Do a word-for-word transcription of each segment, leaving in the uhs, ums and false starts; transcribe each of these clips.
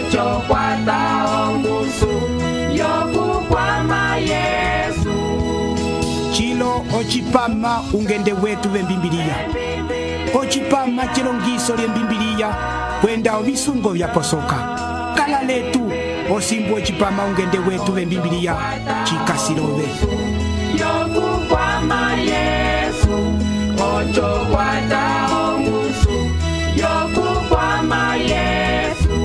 ocho kwata ongusu yokukwama Yesu. Chilo ochipama ungende wetu vembimbiliya. Ochipama chilongiso lye mbimbiliya kwenda ovisungo vyaposoka. Kala letu osimbu ochipama ungende wetu vembimbiliya chikasilove. Yokukwama Yesu, ocho kwata ongusu yokukwama Yesu.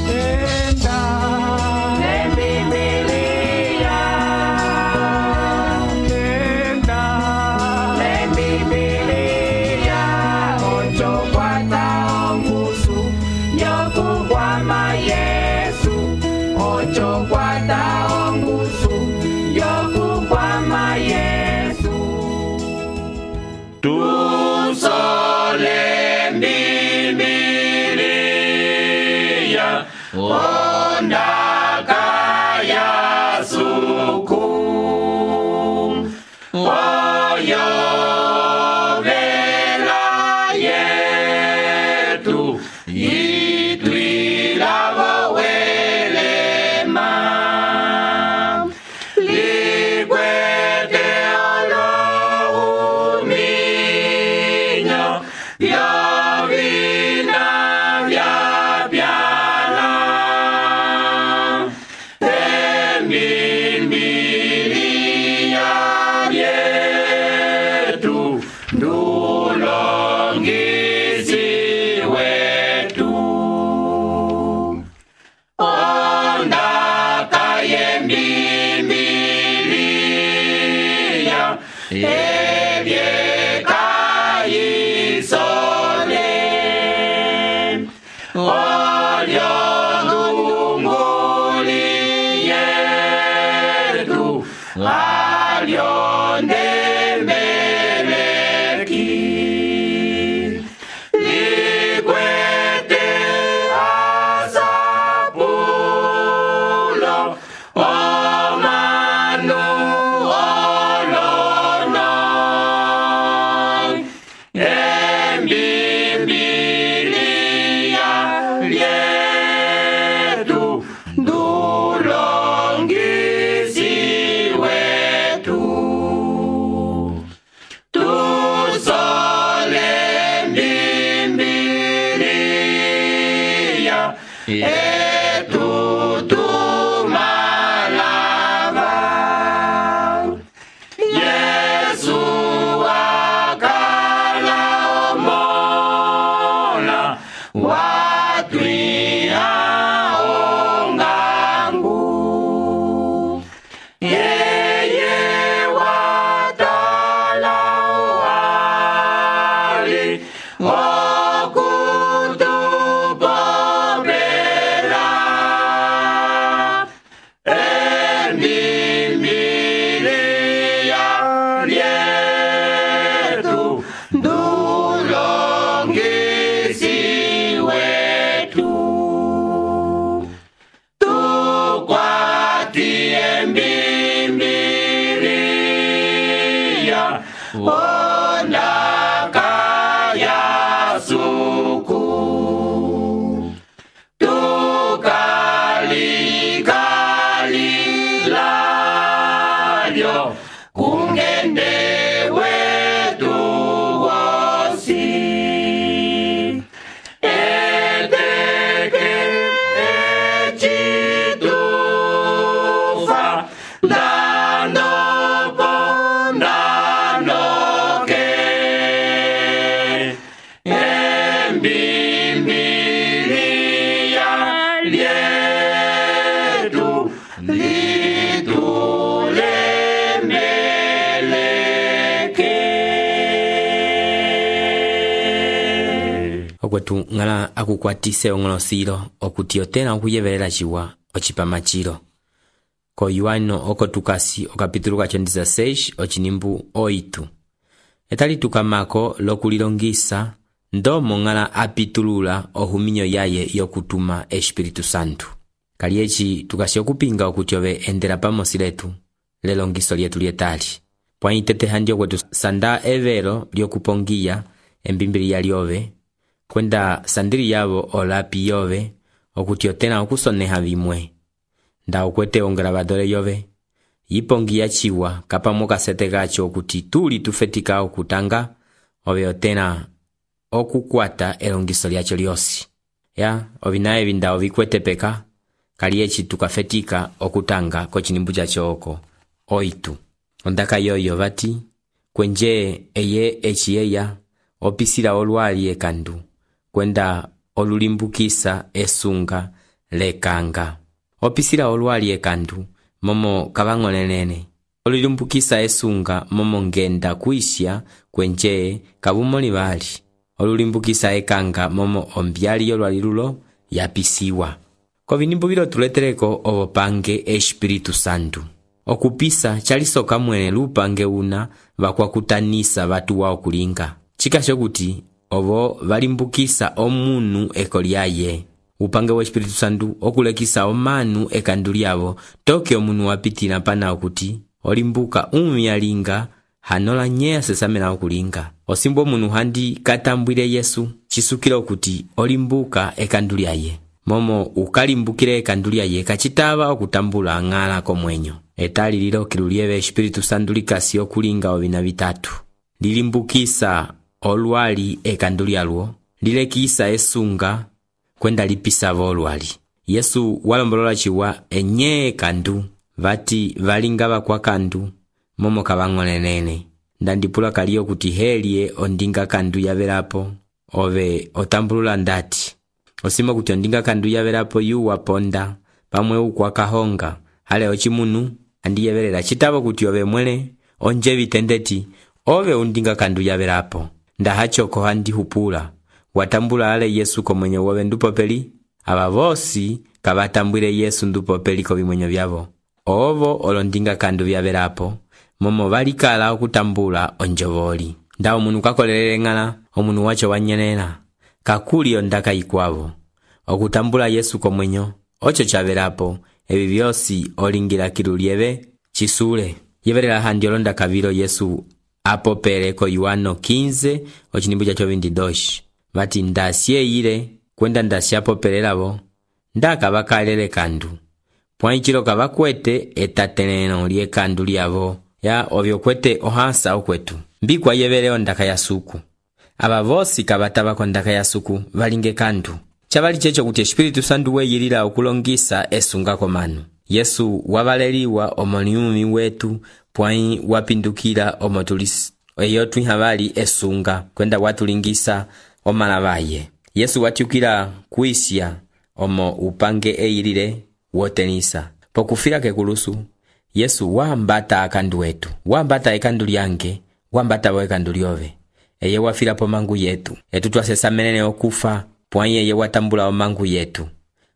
Enda lembibiliya, enda lembibiliya, ocho kwata ongusu yokukwama Yesu, ocho kwata ongusu yokukwama Yesu. Tusole Bibilia ondaka ya suku oyo vela yetu itwilavo welema likwete olohuminyo yovina vyapyala embimbiliya lyetu ndulongisi wetu ondaka yembimbiliya ebyekayisole olyondunguli yetu alyondembeleki likwete asapulo omanu olono embimbiliya lyetu ndulongisi wetu. Tusole mbimbiliya etu tumalava Yesu akala omola watwiha ongangu yeye watala wali okutupopela embimbiliya lyetu ndulongisi wetu. Tukwati embimbiliya ondaka ya suku tukalikalilyo kungende wetu wosi eteke echitufa ndandopo ndandoke embimbiliya lyetu litulemeleke. okwetu ngala akukwatise ong'olosilo okuti otena okuyevelela ciwa ocipama cilo ko Yohano oko tukasi okapitulu kacho dezasseis ocinimbu oitu etali tukamako lokulilongisa ndomo ngala apitulula ohuminyo yaye yokutuma Espiritu Santu. Kali eci tukasi okupinga okuti ove endela pamosi letu lelongiso lyetu lyetali pwaitete handyo kwetu sanda evelo lyokupongiya embimbiliya lyove kwenda sandili yavo olapi yove okuti otena okusoneha vimwe. Nda ukwete ongravadore yove yipongiya chiwa kapamo kasete gacho okuti tuli tufetika okutanga ove otena okukwata elongiso lyacho lyosi. Ya, ovinaye vinda ovikwete peka kaliechi tukafetika okutanga kochinimbu chacho oko oitu. Ondaka yoyo vati kwenje eye echiyeya opisila olwali ekandu kwenda olulimbukisa esunga lekanga. Opisila olwali ekandu momo kabang'onenene olulimbukisa esunga momo ngenda kuisya kwenje kabumoli bali olulimbukisa ekanga momo ombyali yolwali lulo yapisiwa. Kovinimbu bilo tuletereko obopange Espiritu Santu. Okupisa chalisoka mwene lupange una bakwakutanisa batu wao kulinga. Chikasho kuti obo balimbukisa omunu ekolyaye. Upange wa Espiritu Santu okulekisa omanu ekandu lyabo toke omunu wapitila pana okuti olimbuka umyalinga hanola nyea sesamela okulinga. Osimbo omunu handi katambwile Yesu chisukila okuti olimbuka ekandu lyaye. Momo ukalimbukile ekandu lyaye kachitaba okutambula ng'ala komwenyo. Etali lilo kilulieve Espiritu Santu likasi okulinga ovina vitatu. Lilimbukisa olwali ekandu lyalwo, lilekisa esunga kwenda lipisa volwali. Yesu walombolola chiwa enye ekandu vati valinga bakwa kandu momo kabang'onenene. Ndandipula kaliyo kuti helie ondinga kandu yavelapo ove otambulula ndati. Osima kuti ondinga kandu yavelapo yu waponda pamwe ukwa kahonga hale ochimunu andi yevelela chitabo kuti ove mwele onje vitendeti ove undinga kandu yavelapo. Ndahachoko handi hupula watambula ale Yesu komwenye wove ndupopeli aba vosi kabatambwile Yesu ndupopeli ko bimwenyo byabo ovo olondinga kandu byavelapo momo balikala okutambula onjovoli. Nda omunu kakolelele ng'ala omunu wacho wanyenena kakuli ondaka ikwavo okutambula Yesu komwenyo ocho chavelapo ebi byosi olingira kilulieve chisule. Yevelela handi olonda kabilo Yesu apopele ko Yohano quinze ochinimbu chacho veintidós vati ndasye ile kwenda ndasya popelelabo ndaka bakalele kandu pwanchilo kabakwete etateneno lye kandu lyabo ya ovyo kwete ohansa okwetu mbikwa yeveleo ndaka ya suku. Aba vosi kabataba ko ndaka ya suku valinge kandu chabali checho kuti Espiritu Santu weyilila okulongisa esunga komanu. Yesu wabaleliwa omoniumi wetu pwai wapindukila omotulisi eyo twihabali esunga kwenda watulingisa omalabaye. Yesu watiukila kuisya omo upange eyilile wotenisa pokufila kekulusu. Yesu wambata akandu wetu, wambata ekandu lyange, wambata bo ekandu lyove. Eye wafila po mangu yetu etu twasesamelene okufa pwai eye watambula omangu yetu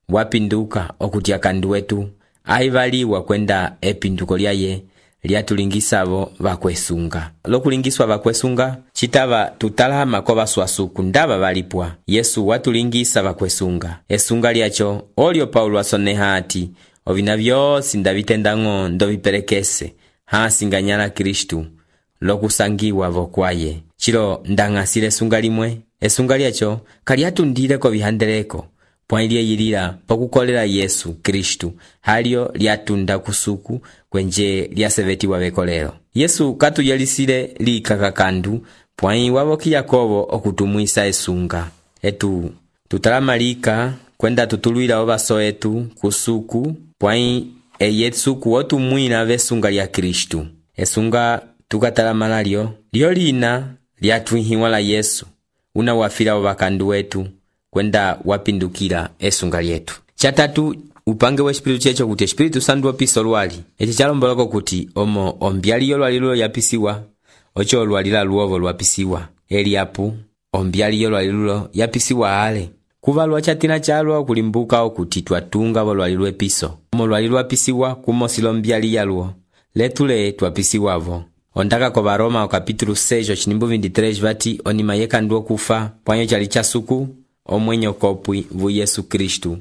wapinduka okuti akandu wetu aivaliwa kwenda epinduko lyaye lyatulingisabo bakwesunga. Lokulingiswa bakwesunga chitaba tutalama ko baswasuku ndaba balipwa. Yesu watulingisa bakwesunga esunga lyacho olyo Paulo asoneha ati ovina byosi ndabitendang'o ndobipelekese hasinganyala Kristu lokusangiwa vokwaye. Chilo ndang'asile esunga limwe esunga lyacho kalyatundile ko bihandeleko pwai lyeyilila pokukolela Yesu Kristu halyo lyatunda kusuku kwenje lyasevetiwa bekolelo. Yesu katuyelisile likaka kandu pwai waboki Yakobo okutumwisa esunga etu tutalamalika kwenda tutulwila obaso etu kusuku pwai eyesuku otumwina besunga lya Kristu. Esunga tukatalamala lyo lyo lina lyatwihiwa la Yesu una wafila obakandu wetu kwenda wapindukila esunga lyetu. Chatatu upange wa Espiritu checho kuti Espiritu Santu opisa olwali eti chalomboloko kuti omo ombyali yolwali lulo yapisiwa ocho olwali la luovo lwapisiwa Eliapu ombyali yolwali lulo yapisiwa ale kuva lwachatina chalwa okulimbuka okuti twatunga bolwali lwepiso omo lwali lwapisiwa kumosilo ombyali yalwo letule twapisiwavo. Ondaka ko Baroma o capítulo seis ochinimbu veintitrés vati onima yekandu okufa pwanyo chali chasuku omwenyo kopwi vu Yesu Kristu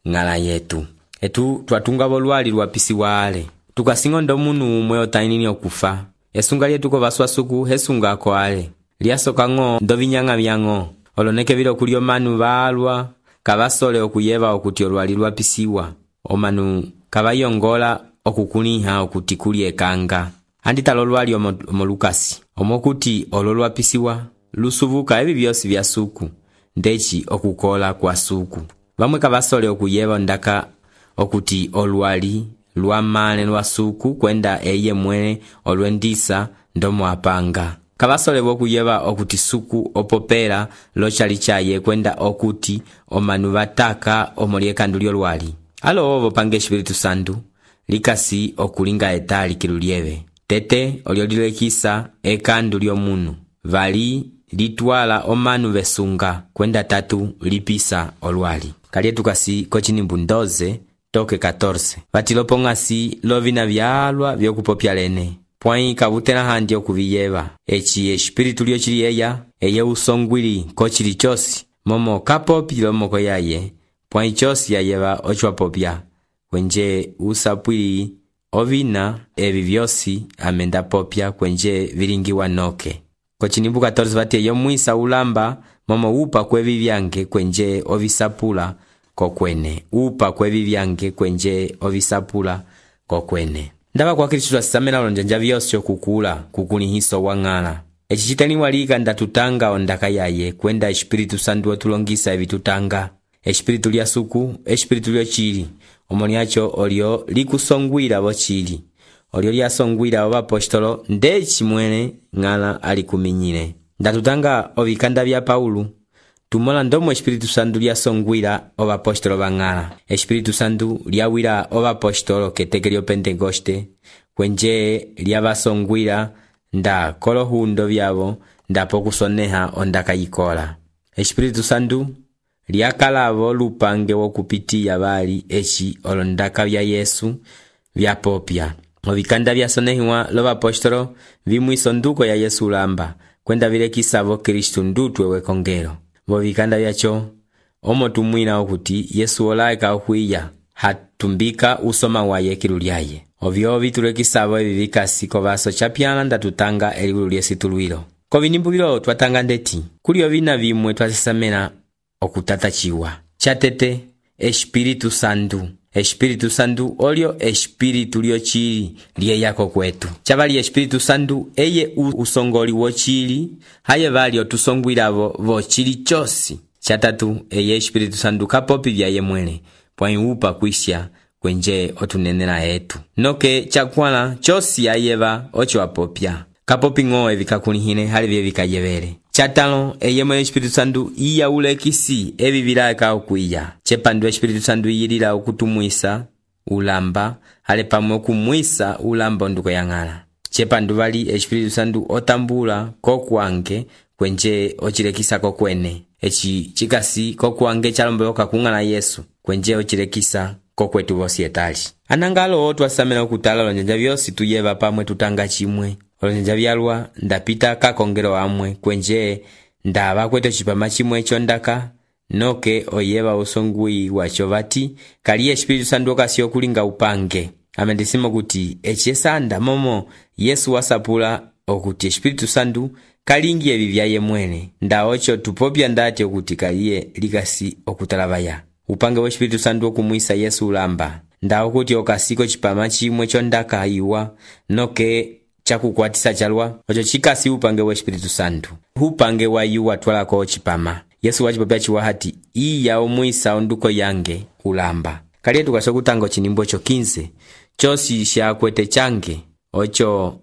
ngala yetu. Etu twatunga bolwali lwapisiwa ale tukasingo ndo munu umwe otainini okufa esunga lyetu ko baswasuku hesunga ko ale lyasoka ng'o ndo binyanga byang'o oloneke vilo kuli omanu valwa kavasole okuyeva okuti olwali lwapisiwa, omanu kavayongola okukuliha okuti kuli ekanga. Andita lolwali omo, omo Lukasi omokuti olo lwapisiwa lusuvuka evi vyosi vya suku ndeci okukola kwa suku. Vamwe kavasole okuyeva ondaka okuti olwali lwamane lwa suku kwenda eye mwene olwendisa ndomo apanga. Kavasole okuyeva okuti suku opopela lochali chaye kwenda okuti omanu vataka omoliekandu lyolwali. Alo ovo pange Espiritu Santu likasi okulinga etali kilulieve. Tete oliolilekisa ekandu lyomunu vali litwala omanu vesunga kwenda tatu lipisa olwali. Kalietu kasi kochinimbu ndoze toke catorce. Vatilopongasi lovina vyalwa vyokupopya lene. Pwai kavutela handi okuviyeva. Echi espiritu lyo chili eya, eye usongwili kochili chosi. Momo kapopi lomoko yaye, pwai chosi yayeva ochwapopya. Kwenje usapwili ovina evi vyosi amenda popya kwenje vilingiwa noke. Kochinimbu catorce vati eyo mwisa ulamba momo upa kwevi vyange kwenje ovisapula kokwene. Upa kwevi vyange kwenje ovisapula kokwene. Ndava kwa Kristu asisamena lonjanja vyosyo kukula kukulihiso wang'ala. Echi chiteni walika ndatutanga ondaka yaye kwenda Espiritu Santu otulongisa evi tutanga. Espiritu lya suku, espiritu lyo chili. Omoniacho olio likusongwira bo chili. Olio lyasongwira oba apostolo ndeci mwene ng'ala alikuminyile. Ndatutanga ovikanda vya Paulu. Tumola ndomo Espiritu Santu lyasongwira oba apostolo bang'ala. Espiritu Santu lyawira oba apostolo keteke lyo Pentekoste kwenje lyabasongwira nda kolohundo vyabo ndapo kusoneha ondaka yikola. Espiritu Santu lyakalavo lupange wokupitiya bali echi olondaka vya Yesu vya popya. Ovikanda vyasonehiwa loba apostolo vimwiso nduko ya Yesu lamba kwenda vilekisavo Kristu ndutwe wekongelo. Vovikanda vyacho omo tumwina okuti Yesu olaeka okwiya hatumbika usoma waye kilulyaye. Ovyo vitulekisavo evi vikasi kovaso chapyala ndatutanga eliulu lyesitulwilo. Kovinimbu vilo twatanga ndeti kuli ovina vimwe twasisamena okutatachiwa. Chatete Espiritu Santu. Espiritu Santu olio espiritu lyo chili liye yako kwetu. Chavali Espiritu Santu eye usongoli wo chili haye vali otusongwilavo vo chili chosi. Chatatu eye Espiritu Santu kapopi vya ye mwene pwai upa kuisya kwenje otunenela etu. Noke chakwala chosi ayeva ocho apopya. Kapopi ngoe vikakulihine hali vye vikayevele. Chatalo eye mwe Espiritu Santu iya ulekisi evi vilaka okuiya. Chepandu Espiritu Santu yilila okutumwisa ulamba hale pamwe kumwisa ulamba nduko yang'ala. Chepandu vali Espiritu Santu otambula kokwange kwenje ochilekisa kokwene. Echi chikasi kokwange chalombe oka kung'ala Yesu kwenje ochilekisa kokwetu vosi etali. Anangalo otu asamena okutala lonjanja vyosi tuyeva pamwe tutanga chimwe. Olonjanja vyalwa ndapita kakongelo amwe kwenje ndaba kweto chipama chimwe chondaka noke oyeva usongwi wacho vati kali Espiritu Santu okasio kulinga upange. Amendisimo kuti echesanda momo Yesu wasapula okuti Espiritu Santu kalingi evi vyaye mwene nda ocho tupopya ndati okuti kaliye likasi okutalabaya. Upange wa Espiritu Santu okumwisa Yesu ulamba nda okuti okasiko chipama chimwe chondaka iwa noke chakukwatisa chalwa ocho chikasi upange wa Espiritu Santu. Upange wa yuwa twalako chipama Yesu wachipopya chiwa hati iya omwisa onduko yange ulamba. Kaliye tukaso kutango chinimbo cho quince chosi sha kwete change ocho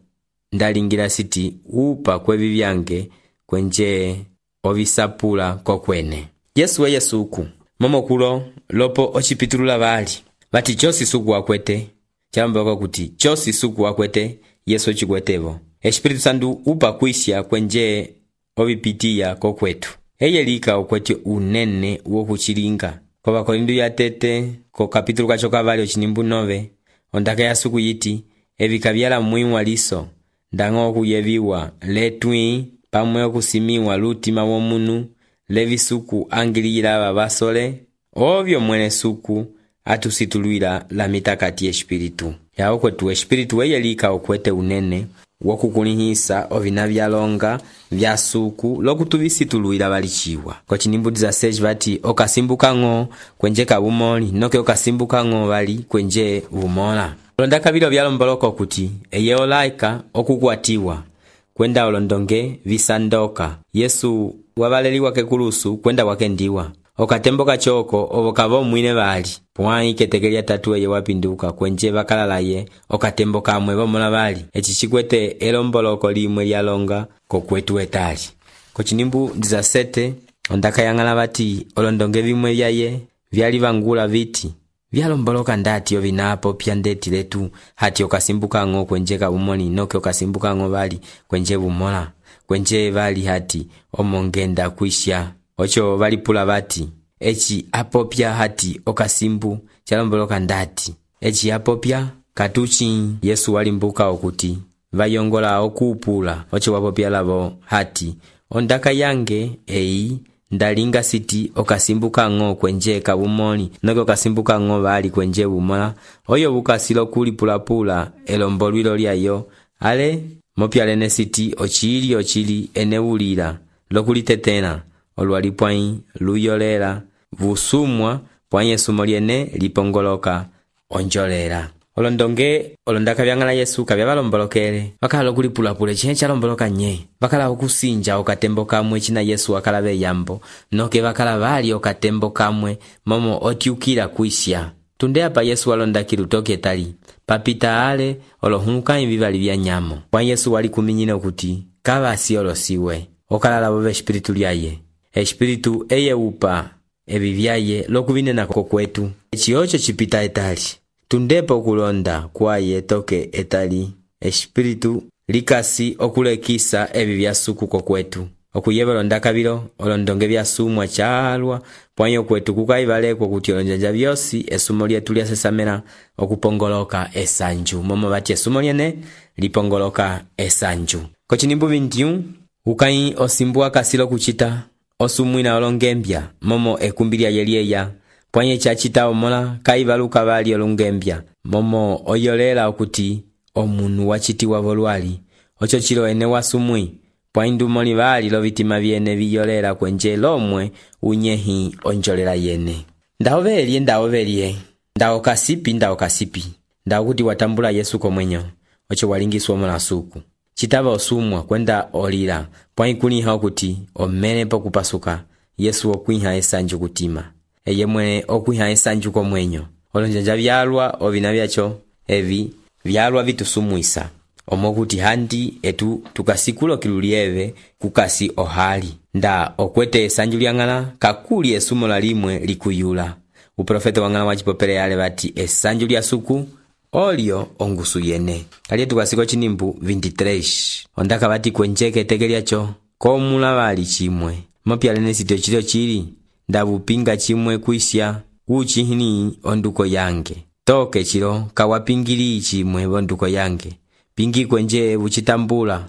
ndalingira siti upa kwevi vyange kwenje ovisapula kokwene. Yesu weye suku momo kulo lopo ochipitulula bali bati chosi suku wakwete chambo kuti chosi suku wakwete Yesu chikwetevo. Espiritu Santu upa kuisya kwenje ovipitiya kokwetu. Eye lika okwete unene wokuchilinga. Kwa Bakorindu ya tete ko kapitulu kachoka vali ochinimbu nove ondaka ya suku yiti evika vyala mwiwa liso ndango kuyeviwa letwi pamwe okusimiwa lutima womunu levi suku angilira babasole ovyo mwene suku atusitulwila la mitakati Espiritu. Ya okwetu Espiritu weye lika okwete unene wokukulihisa ovina vyalonga vya suku lokutuvisituluila valiciwa. Kocinimbu dezasseis vati okasimbuka-ng'o kwenje kabumoli noke okasimbuka-ng'o vali kwenje bumola. Olondaka vilo vyalomboloka okuti eye olaika okukwatiwa kwenda olondonge visandoka Yesu wavaleliwa kekulusu kwenda wakendiwa okatembo kachoko ovo kavo mwine vali pwai keteke lya tatu eye wapinduka kwenje vakalalaye okatembo kamwe vomola vali eci chikwete elomboloko limwe lyalonga kokwetu etali. Kocinimbu dezasete ondaka yang'ala vati olondonge vimwe vyaye vyali vangula viti vyalomboloka ndati ovinapo pya ndeti letu hati okasimbuka-ng'o kwenje kabumoli noke okasimbuka-ng'o vali kwenje bumola kwenje vali hati omongenda kuisha. Ocho valipula vati eci apopya hati okasimbu chalomboloka ndati eci apopya katuchi. Yesu walimbuka okuti vayongola okupula. Ocho wapopya lavo hati ondaka yange eyi ndalinga siti okasimbuka-ng'o kwenje kabumoli noke okasimbuka-ng'o vali kwenje bumola oyo bukasilo kulipulapula elombolwilo lyayo ale mopyalene siti ochili ochili enewulila lokulitetela olwali pwai luyolela vusumwa pwai esumo lyene lipongoloka onjolela. Olondonge olondaka vyang'ala Yesu kavya valombolokele vakala lokulipulapula chine chalomboloka nye vakala okusinja okatembo kamwe china Yesu wakala veyambo noke vakala vali okatembo kamwe momo otyukila kuisha. Tunde apa Yesu walondakila utoke etali papita ale olohunguka vivali vya nyamo pwai Yesu wali kuminyina okuti kavasi olosiwe okalala vove espiritu lyaye espiritu eye upa evi vyaye lokuvinena kokwetu eci ocho chipita etali. Tundepo okulonda kwaye toke etali espiritu likasi okulekisa evi vyasuku kokwetu okuyeva olondaka vilo olondonge vyasumwa chalwa pwai okwetu kukaivalekwa kuti olonjanja vyosi esumo lyetu lyasesamela okupongoloka esanju momo vati esumo lyene lipongoloka esanju. Kocinimbu vintium ukai osimbu kasilo kuchita osumwina olongembya momo ekumbi lyaye lyeya pwanye chachita omola kaivaluka vali olungembya momo oyolela okuti omunu wachitiwa volwali ocho chilo ene wasumwi pwai ndumoli vali lovitima vyene viyolela kwenje lomwe unyehi onjolela yene. Ndaovelye ndaovelye ndao kasipi ndao kasipi ndao kuti watambula Yesu komwenyo ocho walingiswa mola suku chitava osumwa kwenda olila pwai kuliha okuti omene pokupasuka Yesu okwiha esanju kutima eye mwene okwiha esanju komwenyo olonjanja vyalwa ovina vyacho evi vyalwa vitusumwisa omokuti handi etu tukasikulo kilulieve kukasi ohali nda okwete esanju lyang'ala kakuli esumo la limwe likuyula. Uprofeta wang'ala wachipopele yale vati esanju lya suku olio ongusu yene. Kaliye tukasiko chinimbu veintitrés ondaka vati kwenjeke teke lyacho komula vali chimwe mopyalene sitio chilio chili ndavupinga chimwe kuisha uchihini onduko yange toke chilo kawapingili chimwe onduko yange pingi kwenje uchitambula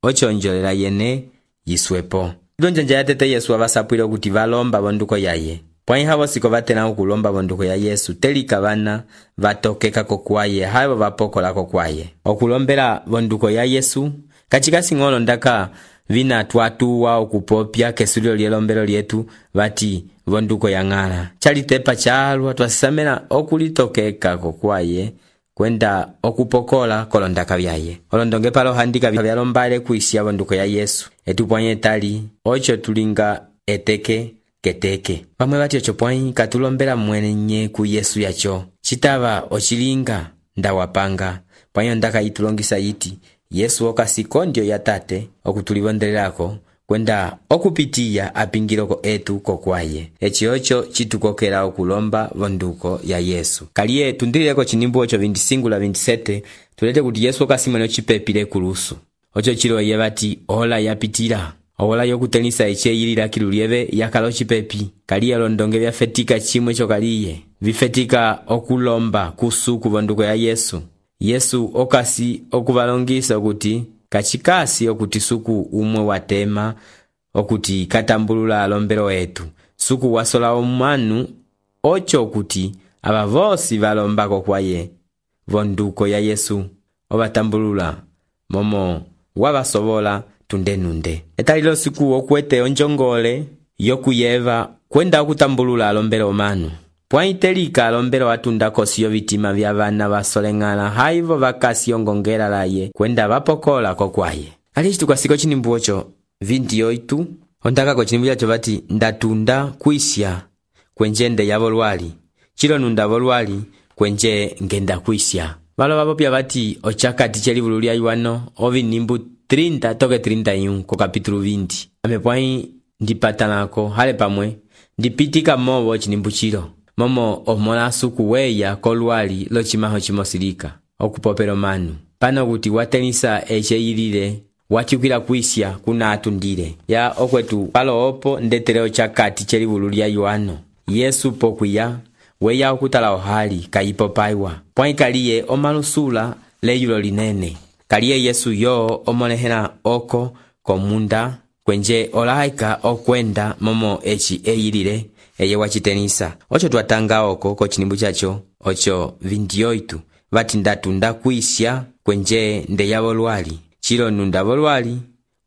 ochonjolela yene yiswepo. Donjanja yatete Yesu avasapwile kuti valomba bonduko yaye pwai havo siko vatena ukulomba bonduko ya Yesu telika vana vatokeka kokwaye havo vapokola kokwaye okulombela bonduko ya Yesu kachika sing'olo ndaka vina tuatuwa okupopya kesulio lyelombelo lyetu vati bonduko ya ng'ala chalitepa chalwa twasisamela okulitokeka kokwaye kwenda okupokola kolondaka vyaye olondonge palo handika vyalombale kuisha bonduko ya Yesu etupwanye tali ocho tulinga eteke keteke pamwe vati ocho pwai katulombela mwene nye ku Yesu yacho chitava ochilinga ndawapanga pwai ondaka itulongisa yiti Yesu okasiko ndio yatate okutulivondelelako kwenda okupitiya apingiloko etu kokwaye eci ocho chitukokela okulomba bonduko ya Yesu. Kaliye tundileko chinimbu ocho veinticinco la veintisete tulete kuti Yesu okasimwene ochipepile kulusu ocho chilo ye vati ola yapitila ola yokutenisa eche yilila kilulieve yakalo chipepi kaliye londonge vyafetika chimwe chokaliye vifetika okulomba kusuku bonduko ya Yesu. Yesu okasi okuvalongisa okuti kachikasi okuti suku umwe watema okuti katambulula alombelo etu suku wasola omanu ocho okuti aba vosi valombako kwaye bonduko ya Yesu obatambulula momo wavasovola tunde nunde. Etalilo siku okwete onjongole yokuyeva kwenda okutambulula alombelo omanu. Pwaitelika alombelo atunda kosi yovitima vya vana vasoleng'ala haivo vakasi ongongela laye kwenda vapokola kokwaye. Alichitu kwa siko chinimbu ocho vinti-oito ondaka ko chinimbu yacho vati ndatunda kuisya kwenjende ya volwali chilo nunda volwali kwenje ngenda kuisya. Valo vapopya vati ochakati chelivulu lya Yohano ovinimbu trinta toke trinta y uno ko kapitulu vinti. Amepwai ndipatanako hale pamwe ndipitika movo chinimbu chilo momo omola suku weya kolwali lo chimaho chimosilika okupopela manu pano kuti watenisa echeyilile wachukila kuisya kuna atundile ya okwetu palo opo ndetere ochakati chelivulu lya Yohano Yesu pokwiya weya okutala ohali kayipopaiwa pwai kaliye omalusula leyulo linene kaliye Yesu yo omonehela oko komunda kwenje olaika okwenda momo echi eyilile eye wachitenisa. Ocho twatanga oko ko chinimbu chacho ocho vinti-oito vati ndatunda kuisya kwenje ndeya volwali chilo nunda volwali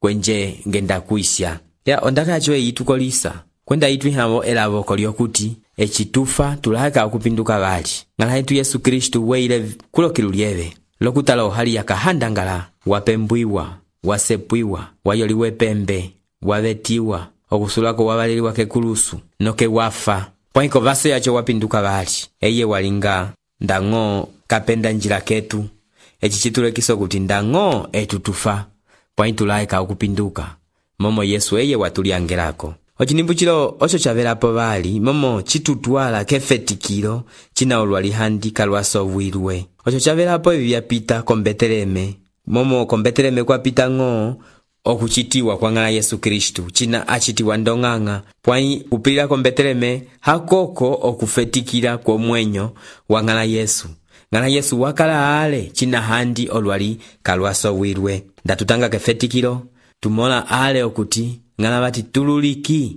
kwenje ngenda kuisya. Ya ondaka yacho eyitukolisa kwenda itu ihavo elavoko lyokuti echitufa tulaika okupinduka vali ngala itu Yesu Kristu weile kulokilu lyeve lokutala ohali yakahandangala wapembwiwa wasepwiwa wayoliwe pembe wavetiwa okusulako wavaleliwa kekulusu noke wafa pwaiko vaso yacho wapinduka vali eye walinga ndang'o kapenda njila ketu echi chitulekiso kuti ndang'o etutufa pwaitulaika okupinduka momo Yesu eye watuliangelako. Ochinimbu chilo ocho chavelapo vali momo chitutwala kefetikilo china olwali handi kalwasovwilwe ocho chavelapo evi vyapita kombeteleme momo kombeteleme kwa pita ng'o okuchitiwa kwa ngala Yesu Kristu china achitiwa ndong'ang'a pwai upilila kombeteleme hakoko okufetikila kwa mwenyo wa ngala Yesu ngala Yesu wakala ale china handi olwali kalwasowilwe ndatutanga kefetikilo tumola ale okuti ngala vati tululiki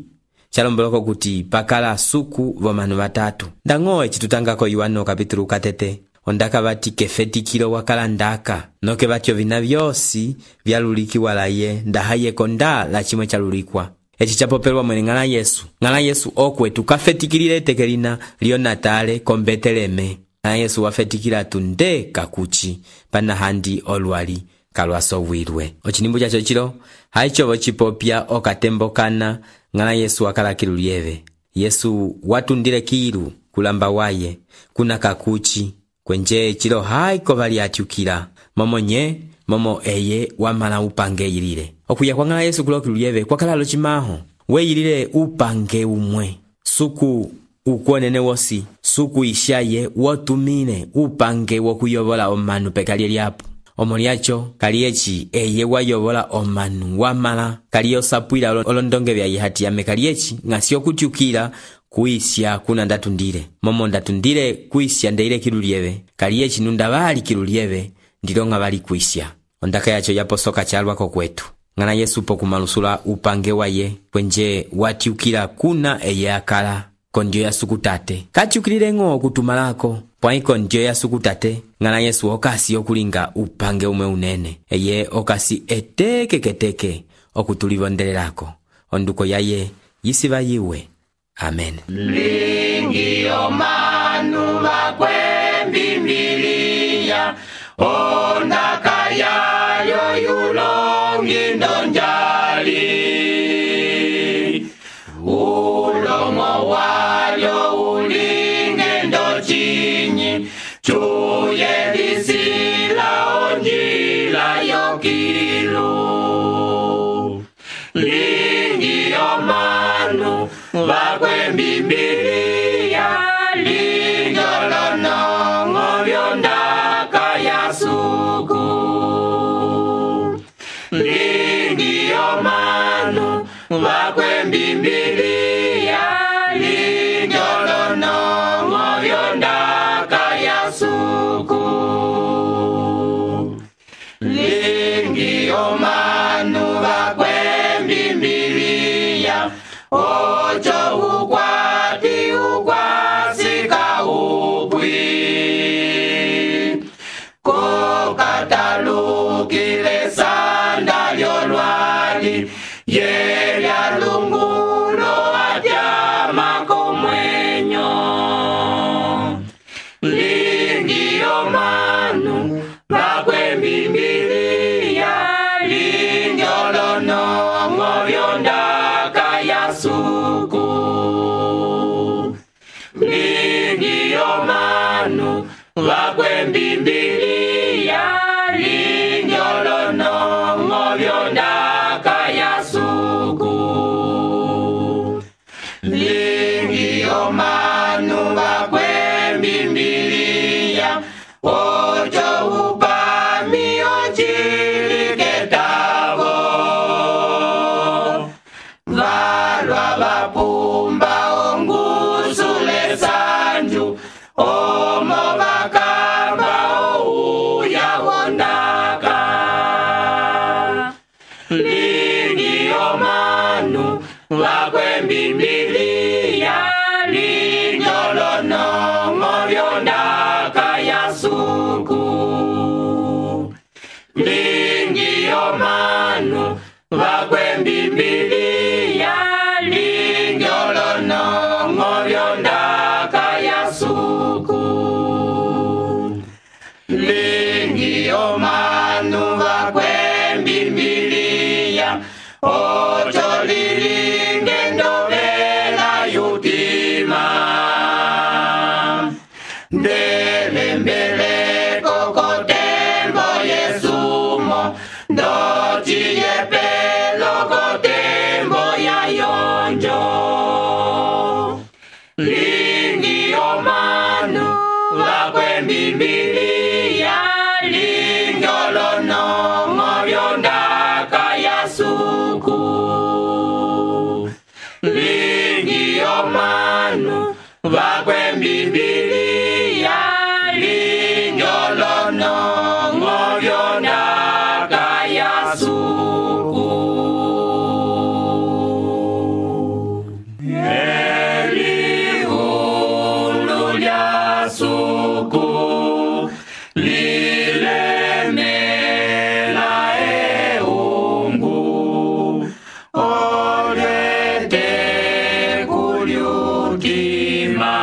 chalomboloko kuti pakala suku vomanu vatatu ndang'o echitutangako Yohano kapitulu katete ondaka vati kefetikilo wakala ndaka noke vatyo vina vyosi vyalulikiwa laye ndahayeko nda la chimwe chalulikwa echi chapopelwa mwene ngala Yesu ngala Yesu okwetu kafetikilile tekelina lionatale kombeteleme ngala Yesu wafetikila tunde kakuchi pana handi olwali kalwasowilwe. Ochinimbu chacho chilo haichovo chipopya okatembokana ngala Yesu wakala kilu lyeve Yesu watundile kilu kulamba waye kuna kakuchi kwenje chilo haiko vali atyukila momo nye momo eye wamala upange yilile okuya kwa ngala Yesu kulokilu lyeve kwa kalalo chimaho weyilile upange umwe suku ukwonene wosi suku ishaye wotumine upange wokuyovola omanu pekalye lyapo omo lyacho kaliechi eye wayovola omanu wamala kaliye osapwila olondonge vya yihati yame kaliechi ngasi okutyukila kuisya kuna ndatundile momo ndatundile kuisya ndeile kilu lyeve kaliechi nunda vali kilu lyeve ndilonga vali kuisya ondaka yacho yaposoka chalwako kwetu ngana Yesu pokumalusula upange waye kwenje watyukila kuna eye akala kondio ya sukutate katyukilile ng'o kutumalako pwaiko ndio ya sukutate ngana Yesu okasi okulinga upange umwe unene eye okasi eteke keteke okutulivondelelako onduko yaye yisiva yiwe. Amen. Lingi omanu vakwe Biblia ondaka yayo yulongi ndonjali ulomo wayo ulinge ndochinyi chuye lisila onjila yokilu lingi omanu vakwe Biblia linjolonongo vyonda lingi omanu vakwembimbilia lingi olonongo vyondaka ya suku lingi omanu vakwembimbilia ojo upami ojiliketavo valwa vapumba ongusule sanju omo vakamba ouya wondaka lingi omanu vakwembimbilia lingi olonongo vyondaka ya suku lingi omanu vakwembimbilia lingi olonongo vyondaka ya suku lingi omanu vakwembimbilia ojo lilinge ndovela yutima ndelembeleko kotembo yesumo ndociyepelo kotembo ya yonjo lingi omanu vakwembimbilia lingi olonongo vyondaka ya suku lingi omanu vakwembimbilia lingi olonongo vyondaka ya suku elihulu lya suku lilemela eungu olete kulyutima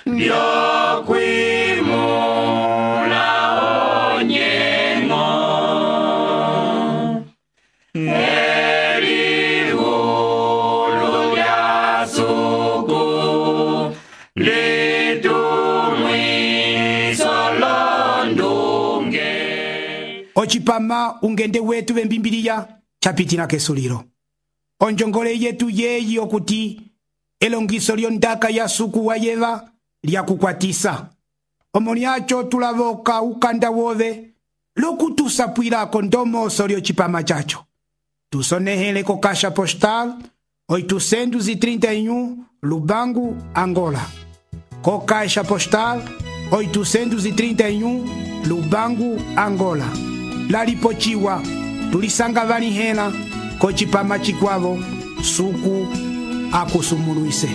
ndyokwimula onyengo elihulu lya suku litumwiso londunge ocipama ungende wetu vembimbiliya capitina kesulilo onjongole yetu yeyi okuti elongiso lyondaka ya suku wa yeva lyakukwatisa omo lyaco tulavoka ukanda wove lokutusapwilako ndomoso lyocipama caco tusonehele ko caixa postal oitocentos e trinta e um Lubango, Angola. Co caixa postal oitocentos e trinta e um Lubango, Angola. Lalipochiwa tulisanga vanihena ko cipama cikwavo suku akusumuluise.